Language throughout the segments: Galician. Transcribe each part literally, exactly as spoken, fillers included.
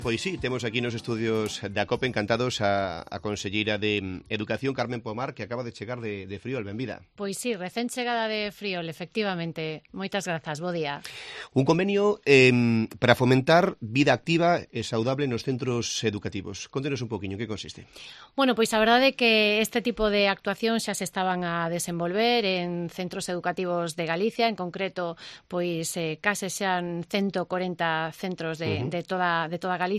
Pois sí, temos aquí nos estudios da COPE encantados a, a conselleira de Educación, Carmen Pomar, que acaba de chegar de, de Friol. Benvida. Pois sí, recén chegada de Friol, efectivamente. Moitas grazas, bo día. Un convenio eh, para fomentar vida activa e saudable nos centros educativos. Contenos un poquinho, que consiste? Bueno, pois a verdade é que este tipo de actuacións xa se estaban a desenvolver en centros educativos de Galicia, en concreto, pois eh, case xan ciento corenta centros de, uh -huh. de toda de toda Galicia.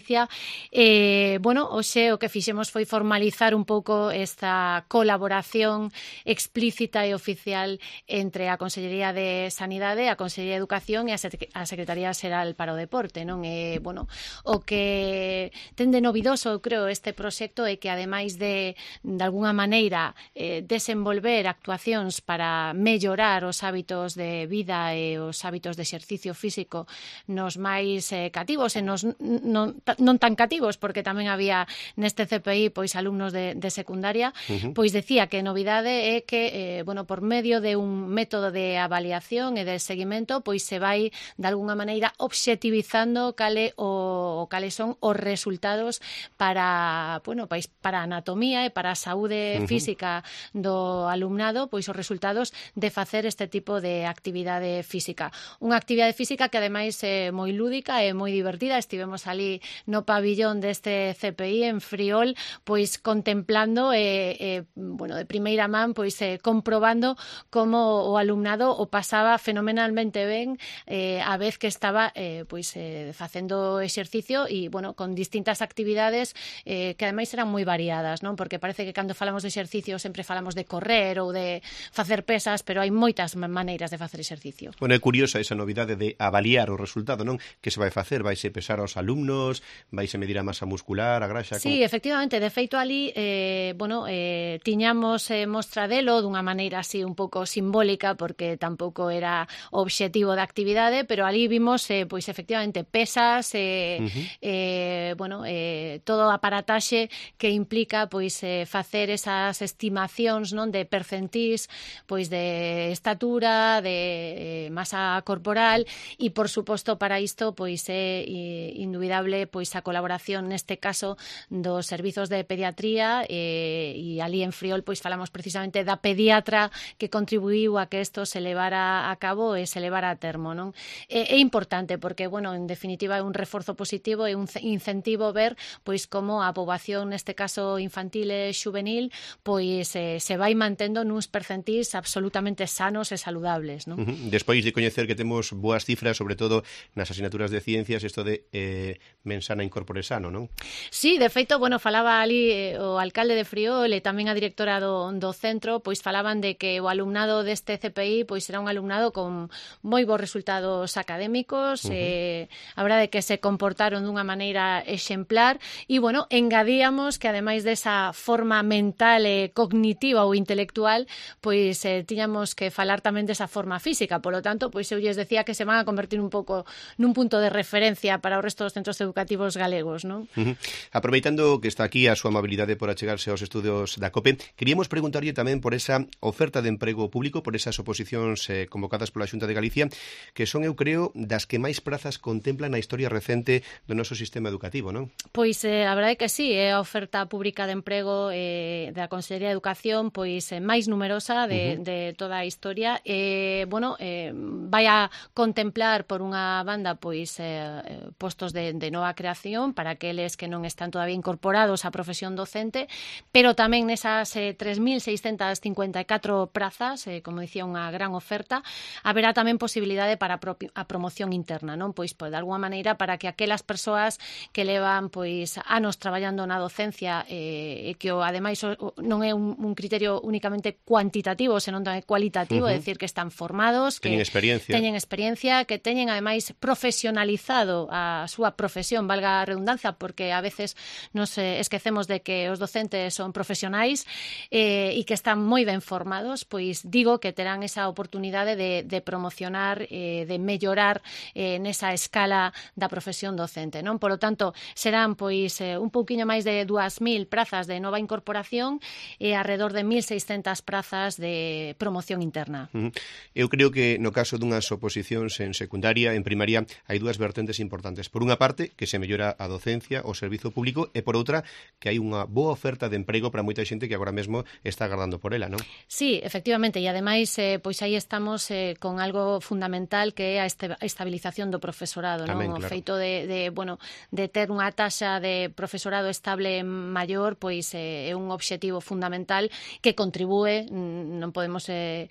Eh, bueno, hoxe o que fixemos foi formalizar un pouco esta colaboración explícita e oficial entre a Consellería de Sanidade, a Consellería de Educación e a Secretaría Xeral para o Deporte, non? E, bueno, o que ten de novidoso, eu creo, este proxecto é que, ademais de, de alguna maneira, eh, desenvolver actuacións para mellorar os hábitos de vida e os hábitos de exercicio físico nos máis eh, cativos e nos non non tan cativos, porque tamén había neste C P I pois alumnos de, de secundaria, uh -huh. pois decía que a novidade é que, eh, bueno, por medio de un método de avaliación e de seguimento, pois se vai de alguna maneira obxectivizando cale o cales son os resultados para, bueno, pois para a anatomía e para a saúde uh -huh. física do alumnado, pois os resultados de facer este tipo de actividade física. Unha actividade física que ademais é moi lúdica e moi divertida. Estivemos ali no pabillón deste C P I en Friol, pois contemplando e, eh, bueno, de primeira man, pois eh, comprobando como o alumnado o pasaba fenomenalmente ben eh, a vez que estaba eh, pois eh, facendo exercicio e, bueno, con distintas actividades eh, que ademais eran moi variadas, non? Porque parece que cando falamos de exercicio sempre falamos de correr ou de facer pesas, pero hai moitas maneiras de facer exercicio. Bueno, é curiosa esa novidade de avaliar o resultado, non? Que se vai facer? Vaise pesar aos alumnos? Vaise medir a masa muscular, a graxa? Sí, como... efectivamente, de feito ali eh, bueno, eh, tiñamos eh, mostra delo dunha maneira así un pouco simbólica, porque tampouco era o obxectivo da actividade, pero ali vimos eh, pois efectivamente pesas eh, uh -huh. eh, bueno, eh, todo o aparataxe que implica pois eh, facer esas estimacións, non, de percentís, pois de estatura, de eh, masa corporal e por suposto para isto pois é eh, indubidable pois a colaboración neste caso dos servizos de pediatría e, e ali en Friol pois falamos precisamente da pediatra que contribuiu a que isto se levara a cabo e se levara a termo, non? É, é importante porque, bueno, en definitiva é un reforzo positivo e un incentivo ver pois como a poboación neste caso infantil e xuvenil pois eh, se vai mantendo nuns percentís absolutamente sanos e saludables, non? Uh -huh. Despois de coñecer que temos boas cifras, sobre todo nas asignaturas de ciencias, isto de eh, mensana incorpore sano, non? Sí, de feito, bueno, falaba ali eh, o alcalde de Friol e tamén a directora do, do centro, pois falaban de que o alumnado deste C P I pois era un alumnado con moi bons resultados académicos, uh -huh. eh, a verdade que se comportaron dunha maneira exemplar e, bueno, engadíamos que ademais desa forma mental e cognitiva ou intelectual, pois eh, tiñamos que falar tamén desa forma física, polo tanto, pois eu lles decía que se van a convertir un pouco nun punto de referencia para o resto dos centros educativos galegos, non? Uh -huh. Aproveitando que está aquí a súa amabilidade por achegarse aos estudios da COPE, queríamos preguntarlle tamén por esa oferta de emprego público, por esas oposicións eh, convocadas pola Xunta de Galicia, que son, eu creo, das que máis prazas contemplan na historia recente do noso sistema educativo, non? Pois eh, a verdade é que sí, é a oferta pública de emprego eh, da Consellería de Educación pois eh, máis numerosa de, uh -huh. de toda a historia. Eh, bueno, eh, vai a contemplar por unha banda pois eh, postos de, de nova creación para aqueles que non están todavía incorporados á profesión docente, pero tamén nesas eh, tres mil seiscentas cincuenta e catro prazas, eh, como dicía, unha gran oferta, haberá tamén posibilidade para a promoción interna, non? Pois, pois de alguma maneira para que aquelas persoas que levan pois anos traballando na docencia e eh, que o, ademais o, non é un, un criterio únicamente cuantitativo, senón tamén cualitativo, uh -huh. é dicir que están formados, teñen que experiencia. teñen experiencia, que teñen ademais profesionalizado a súa profesión, valga a redundancia, porque a veces nos eh, esquecemos de que os docentes son profesionais eh, e que están moi ben formados, pois digo que terán esa oportunidade de, de promocionar, eh, de mellorar eh, nesa escala da profesión docente, non? Por lo tanto, serán pois eh, un pouquiño máis de dúas mil prazas de nova incorporación e alrededor de mil seiscentas prazas de promoción interna. Uh -huh. Eu creo que no caso dunhas oposicións en secundaria, en primaria, hai dúas vertentes importantes. Por unha parte, que se mellora a docencia, o servizo público, e por outra, que hai unha boa oferta de emprego para moita xente que agora mesmo está agardando por ela, non? Sí, efectivamente, e ademais, eh, pois aí estamos eh, con algo fundamental que é a estabilización do profesorado, Tamén, non? O claro. feito de, de, bueno, de ter unha taxa de profesorado estable maior, pois eh, é un obxectivo fundamental que contribúe, non podemos eh,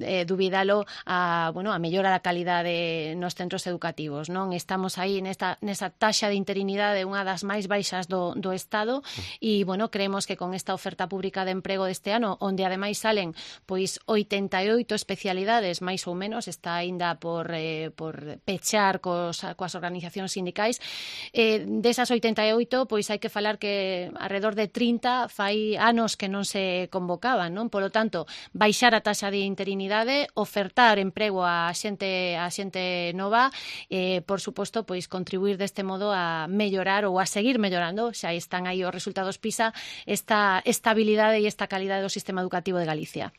eh, dubidalo, a, bueno, a mellora da calidade nos centros educativos, non? Estamos aí nesta, nesa taxa de interinidade unha das máis baixas do, do Estado e, bueno, creemos que con esta oferta pública de emprego deste ano, onde ademais salen pois oitenta e oito especialidades, máis ou menos, está aínda por, eh, por pechar cos, coas organizacións sindicais, eh, desas oitenta e oito, pois hai que falar que alrededor de trinta fai anos que non se convocaban, non? Polo tanto, baixar a taxa de interinidade, ofertar emprego a xente a xente nova, eh, por suposto, pois contribuir deste modo a mellorar ou a seguir mellorando, xa están aí os resultados PISA, esta estabilidade e esta calidade do sistema educativo de Galicia.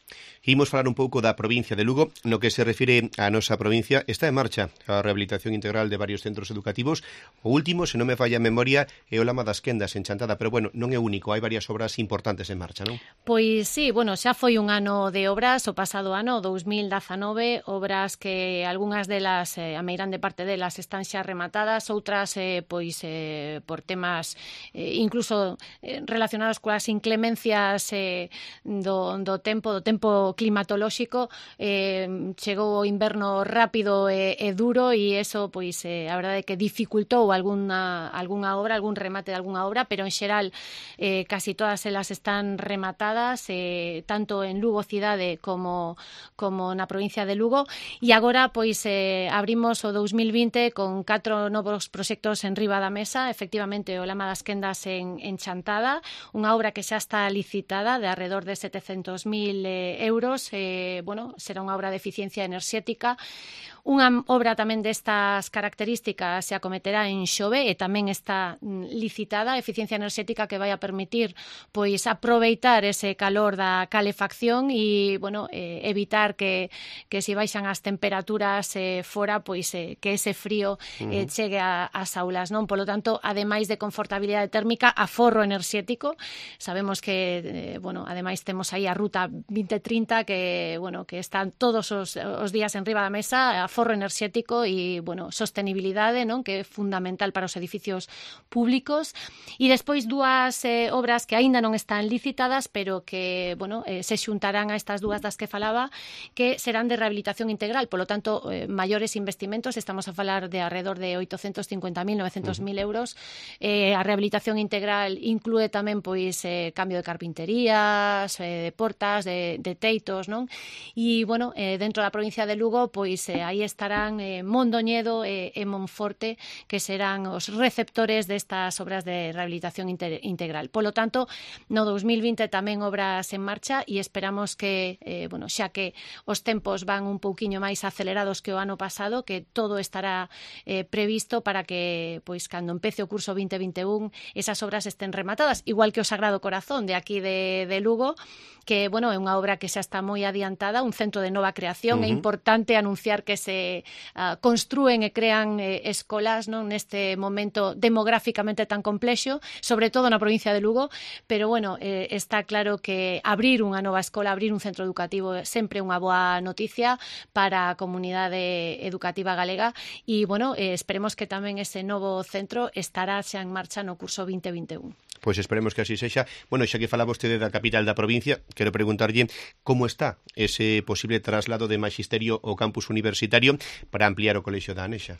Imos falar un pouco da provincia de Lugo. No que se refire á nosa provincia, está en marcha a rehabilitación integral de varios centros educativos. O último, se non me falla a memoria, é o Lama das Quendas, en Chantada, pero bueno, non é único, hai varias obras importantes en marcha, non? Pois sí, bueno, xa foi un ano de obras, o pasado ano, dous mil dezanove, obras que algunhas delas, eh, a meirande parte delas, están xa rematadas, outras, eh, pois, eh, por temas eh, incluso eh, relacionados coas inclemencias eh, do, do tempo, do tempo climatolóxico, eh, chegou o inverno rápido e, e duro e eso, pois, eh, a verdade é que dificultou alguna, alguna obra, algún remate de alguna obra, pero en xeral eh, casi todas elas están rematadas, eh, tanto en Lugo cidade como, como na provincia de Lugo, e agora, pois, eh, abrimos o dous mil vinte con catro novos proxectos en riba da mesa, efectivamente, o Lama das Quendas en, en Chantada, unha obra que xa está licitada de alrededor de setecentos mil eh, euros, eh, bueno, será unha obra de eficiencia enerxética. Unha obra tamén destas características se acometerá en Xove e tamén está licitada, eficiencia enerxética que vai a permitir pois aproveitar ese calor da calefacción e, bueno, eh, evitar que, que se baixan as temperaturas eh, fora, pois eh, que ese frío eh, chegue a, ás aulas, non? Polo tanto, ademais de confortabilidade térmica, aforro enerxético. Sabemos que, eh, bueno, ademais temos aí a ruta vinte trinta que, bueno, que están todos os, os días en riba da mesa, aforro enerxético e, bueno, sostenibilidade, non? Que é fundamental para os edificios públicos. E despois dúas eh, obras que aínda non están licitadas, pero que, bueno, eh, se xuntarán a estas dúas das que falaba, que serán de rehabilitación integral, polo tanto, eh, maiores investimentos, estamos a falar de alrededor de oitocentos cincuenta mil, novecentos mil euros. Eh, a rehabilitación integral inclúe tamén, pois, eh, cambio de carpinterías, eh, de portas, de, de teitos, non? E, bueno, eh, dentro da provincia de Lugo, pois, eh, aí estarán eh, Mondoñedo e, e Monforte, que serán os receptores destas obras de rehabilitación inter, integral. Polo tanto, no dous mil vinte tamén obras en marcha e esperamos que, eh, bueno, xa que os tempos van un pouquiño máis acelerados que o ano pasado, que todo estará eh, previsto para que, pois, cando empece o curso vinte vinte e un, esas obras estén rematadas, igual que o Sagrado Corazón de aquí de, de Lugo, que, bueno, é unha obra que xa está moi adiantada, un centro de nova creación. Uh-huh. É importante anunciar que se uh, construen e crean eh, escolas, non, neste momento demográficamente tan complexo, sobre todo na provincia de Lugo, pero, bueno, eh, está claro que abrir unha nova escola, abrir un centro educativo é sempre unha boa noticia para a comunidade educativa galega e, bueno, eh, esperemos que tamén ese novo centro estará xa en marcha no curso vinte vinte e un. Pois esperemos que así sexa. Bueno, xa que fala vostede da capital da provincia, quero preguntarlle como está ese posible traslado de magisterio ao campus universitario para ampliar o colexio da Anexa.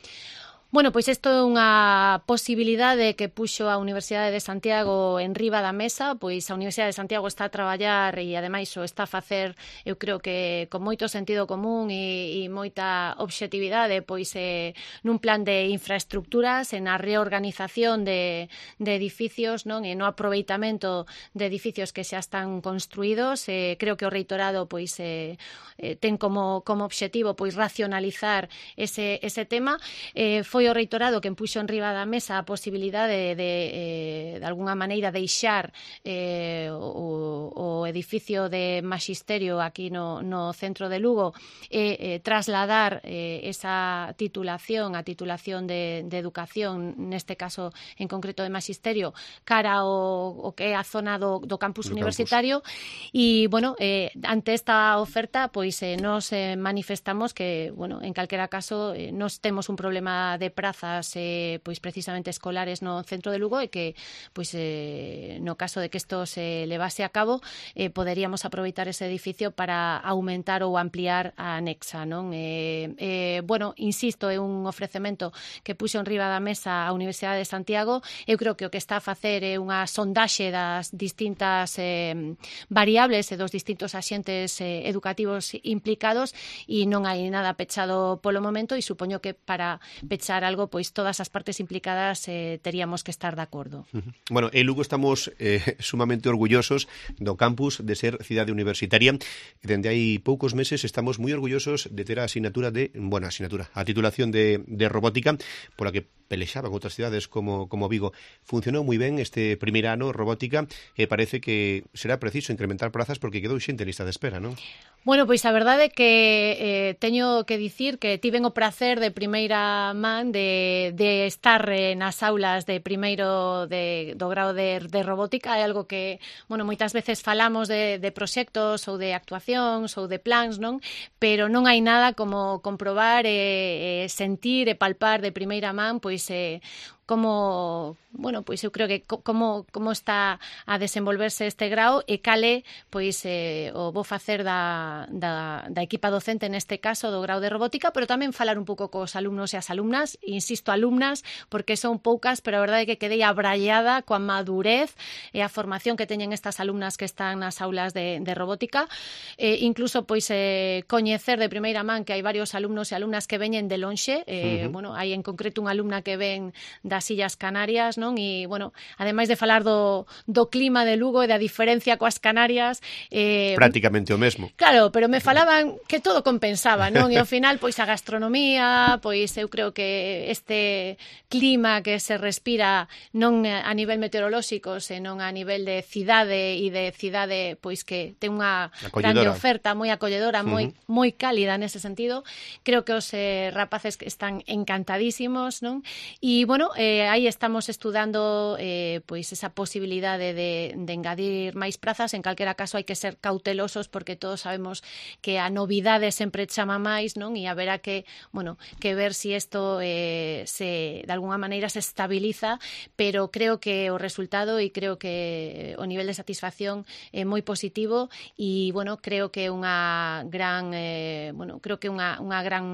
Bueno, pois isto é unha posibilidade que puxo a Universidade de Santiago en riba da mesa, pois a Universidade de Santiago está a traballar e ademais o está a facer, eu creo que con moito sentido común e, e moita obxectividade, pois eh, nun plan de infraestructuras, en a reorganización de, de edificios, non, e no aproveitamento de edificios que xa están construídos. Eh, creo que o reitorado pois eh, eh, ten como, como obxectivo pois racionalizar ese, ese tema. Eh, foi foi o reitorado quen puxo en riba da mesa a posibilidade de, de, eh, de alguna maneira deixar eh, o, o edificio de Maxisterio aquí no, no centro de Lugo e eh, trasladar eh, esa titulación, a titulación de, de educación, neste caso en concreto de Maxisterio, cara ao, o que é a zona do, do campus do universitario campus. E, bueno, eh, ante esta oferta, pois eh, nos eh, manifestamos que, bueno, en calquera caso, eh, nos temos un problema de prazas eh, pois precisamente escolares no centro de Lugo e que, pois, eh, no caso de que isto se levase a cabo, eh, poderíamos aproveitar ese edificio para aumentar ou ampliar a anexa, non? Eh, eh, bueno, insisto, é un ofrecemento que puxo en riba da mesa a Universidade de Santiago. Eu creo que o que está a facer é unha sondaxe das distintas eh, variables e dos distintos axentes eh, educativos implicados e non hai nada pechado polo momento e supoño que para pechar algo, pois todas as partes implicadas eh, teríamos que estar de acordo. Uh-huh. Bueno, en Lugo estamos eh, sumamente orgullosos do campus de ser cidade universitaria. Dende hai poucos meses estamos moi orgullosos de ter a asignatura de, bueno, asignatura, a titulación de, de robótica, pola que pelexaban outras cidades como, como Vigo. Funcionou moi ben este primeiro ano robótica e parece que será preciso incrementar prazas porque quedou xente en lista de espera, non? Bueno, pois a verdade é que eh, teño que dicir que tiven o prazer de primeira man de, de estar eh, nas aulas de primeiro de, do grau de, de robótica. É algo que, bueno, moitas veces falamos de, de proxectos ou de actuacións ou de plans, non? Pero non hai nada como comprobar e eh, sentir e palpar de primeira man, pois eh, como, bueno, pois eu creo que como, como está a desenvolverse este grau e cale, pois eh, o vou facer da, da, da equipa docente neste caso do grau de robótica, pero tamén falar un pouco cos alumnos e as alumnas, insisto, alumnas, porque son poucas, pero a verdade é que quedei abrallada coa madurez e a formación que teñen estas alumnas que están nas aulas de, de robótica, eh, incluso pois eh, coñecer de primeira man que hai varios alumnos e alumnas que veñen de lonxe, eh, uh-huh. bueno, hai en concreto unha alumna que ven das Illas Canarias, non? E, bueno, ademais de falar do, do clima de Lugo e da diferencia coas Canarias... Eh, prácticamente o mesmo. Claro, pero me falaban que todo compensaba, non? E ao final, pois a gastronomía, pois eu creo que este clima que se respira non a nivel meteorolóxico, senón a nivel de cidade e de cidade, pois que ten unha grande oferta, moi acolledora, moi, uh-huh. moi cálida nese sentido. Creo que os eh, rapaces que están encantadísimos, non? E, bueno, eh, aí estamos estudando eh, pois esa posibilidade de, de engadir máis prazas. En calquera caso hai que ser cautelosos porque todos sabemos que a novidade sempre chama máis, non? E haberá que, bueno, que ver si isto eh, se, de alguna maneira se estabiliza, pero creo que o resultado e creo que o nivel de satisfacción é moi positivo e, bueno, creo que unha gran, eh, bueno, creo que unha, unha gran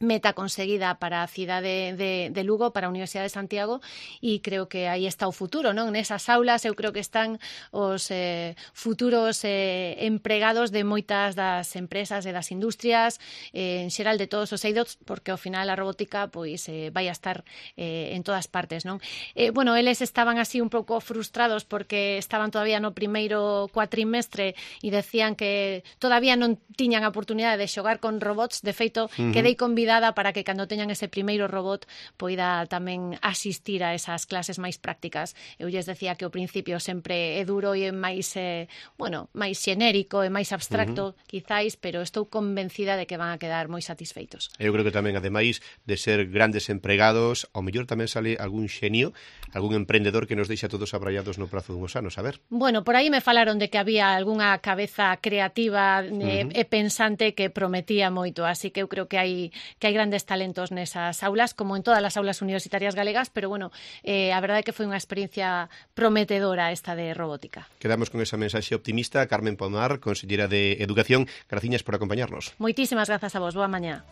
meta conseguida para a cidade de, de Lugo, para a Universidade de Santiago, e creo que aí está o futuro, non? Nesas aulas eu creo que están os eh, futuros eh, empregados de moitas das empresas e das industrias, eh, en xeral de todos os eidos, porque ao final a robótica pois eh, vai a estar eh, en todas partes, non? Eh, bueno, eles estaban así un pouco frustrados porque estaban todavía no primeiro cuatrimestre e decían que todavía non tiñan a oportunidade de xogar con robots. De feito, uh-huh. quedei convidada para que cando teñan ese primeiro robot poida tamén asistir a esas clases máis prácticas. Eu lles decía que o principio sempre é duro e é máis, eh, bueno, máis xenérico e máis abstracto, uh-huh. quizáis, pero estou convencida de que van a quedar moi satisfeitos. Eu creo que tamén, ademais de ser grandes empregados, ao mellor tamén sale algún xenio, algún emprendedor que nos deixa todos abrallados no prazo dunhos anos, a ver. Bueno, por aí me falaron de que había algunha cabeza creativa eh, uh-huh. e pensante que prometía moito, así que eu creo que hai que hai grandes talentos nesas aulas, como en todas as aulas universitarias galegas, pero bueno, eh, a verdade é que foi unha experiencia prometedora esta de robótica. Quedamos con esa mensaxe optimista. Carmen Pomar, consellera de Educación, graciñas por acompañarnos. Moitísimas grazas a vos, boa mañá.